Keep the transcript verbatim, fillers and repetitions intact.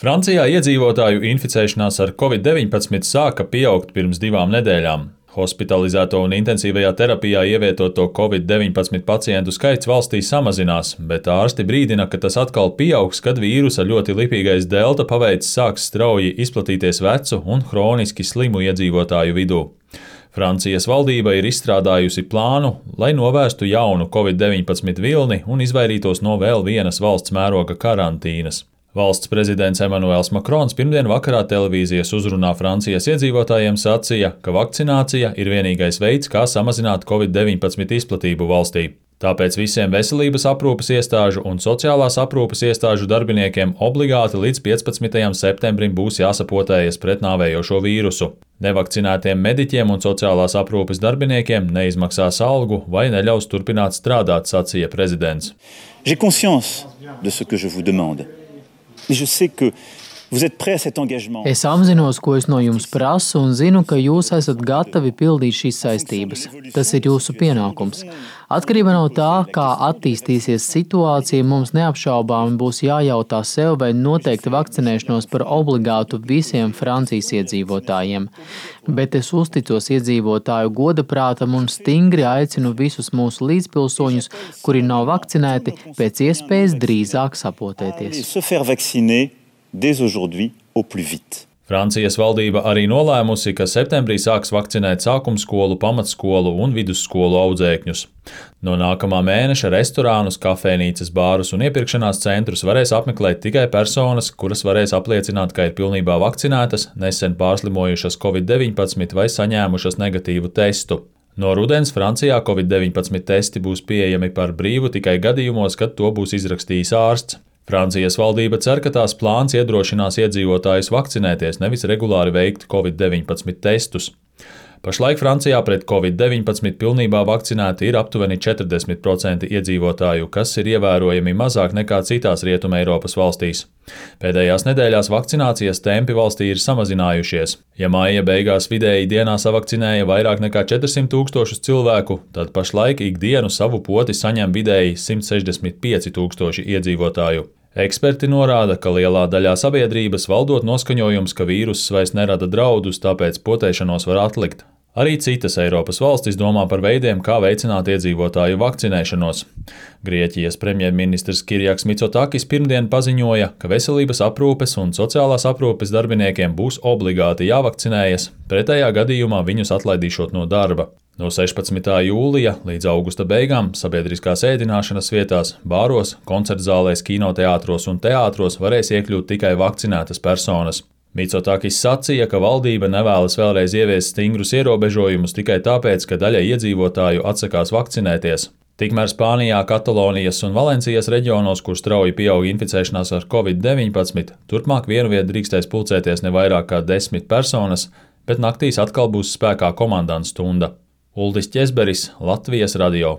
Francijā iedzīvotāju inficēšanās ar covid deviņpadsmit sāka pieaugt pirms divām nedēļām. Hospitalizēto un intensīvajā terapijā ievietoto covid deviņpadsmit pacientu skaits valstī samazinās, bet ārsti brīdina, ka tas atkal pieaugs, kad vīrusa ļoti lipīgais delta paveids sāks strauji izplatīties vecu un hroniski slimu iedzīvotāju vidū. Francijas valdība ir izstrādājusi plānu, lai novērstu jaunu covid deviņpadsmit vilni un izvairītos no vēl vienas valsts mēroga karantīnas. Valsts prezidents Emmanuels Macrons pirmdien vakarā televīzijas uzrunā Francijas iedzīvotājiem sacīja, ka vakcinācija ir vienīgais veids, kā samazināt covid deviņpadsmit izplatību valstī. Tāpēc visiem veselības aprūpes iestāžu un sociālās aprūpes iestāžu darbiniekiem obligāti līdz piecpadsmitajam septembrim būs jāsapotējas pret nāvējošo vīrusu. Nevakcinētiem mediķiem un sociālās aprūpes darbiniekiem neizmaksās algu vai neļaus turpināt strādāt, sacīja prezidents. J'ai conscience de ce que je vous demande. Es apzinos, ko es no jums prasu, un zinu, ka jūs esat gatavi pildīt šīs saistības. Tas ir jūsu pienākums. Atkarībā no tā, kā attīstīsies situācija, mums neapšaubāmi būs jājautā sev, vai noteikti vakcinēšanos par obligātu visiem Francijas iedzīvotājiem. Bet es uzticos iedzīvotāju godaprātam un stingri aicinu visus mūsu līdzpilsoņus, kuri nav vakcinēti, pēc iespējas drīzāk sapotēties. Dès aujourd'hui, au plus vite. Francijas valdība arī nolēmusi, ka septembrī sāks vakcinēt sākumskolu, pamatskolu un vidusskolu audzēkņus. No nākamā mēneša restorānus, kafejnīcas, bārus un iepirkšanās centrus varēs apmeklēt tikai personas, kuras varēs apliecināt, ka ir pilnībā vakcinētas, nesen pārslimojušas covid deviņpadsmit vai saņēmušas negatīvu testu. No rudens Francijā covid deviņpadsmit testi būs pieejami par brīvu tikai gadījumos, kad to būs izrakstījis ārsts. Francijas valdība cer, ka tās plāns iedrošinās iedzīvotājus vakcinēties, nevis regulāri veikt covid deviņpadsmit testus. Pašlaik Francijā pret covid deviņpadsmit pilnībā vakcinēti ir aptuveni četrdesmit procenti iedzīvotāju, kas ir ievērojami mazāk nekā citās Rietuma Eiropas valstīs. Pēdējās nedēļās vakcinācijas tempi valstī ir samazinājušies. Ja maija beigās vidēji dienā savakcinēja vairāk nekā četrsimt tūkstošus cilvēku, tad pašlaik ikdienu savu poti saņem vidēji simt sešdesmit pieci tūkstoši iedzīvotāju. Eksperti norāda, ka lielā daļā sabiedrības valdot noskaņojums, ka vīruss vairs nerada draudus, tāpēc potēšanos var atlikt. Arī citas Eiropas valstis domā par veidiem, kā veicināt iedzīvotāju vakcinēšanos. Grieķijas premjerministrs Kirjaks Mitsotakis pirmdien paziņoja, ka veselības aprūpes un sociālās aprūpes darbiniekiem būs obligāti jāvakcinējas, pretējā gadījumā viņus atlaidīšot no darba. No sešpadsmitā jūlija līdz augusta beigām sabiedriskās ēdināšanas vietās, bāros, koncertzālēs, kinoteātros un teātros varēs iekļūt tikai vakcinētas personas. Mitsotakis sacīja, ka valdība nevēlas vēlreiz ieviest stingrus ierobežojumus tikai tāpēc, ka daļa iedzīvotāju atsakās vakcinēties. Tikmēr Spānijā, Katalonijas un Valencijas reģionos, kur strauji pieaug inficēšanās ar covid deviņpadsmit, turpmāk vienu vietu drīkstēs pulcēties ne vairāk kā desmit personas, bet naktīs atkal būs spēkā komandantu stunda. Uldis Ķezberis, Latvijas radio.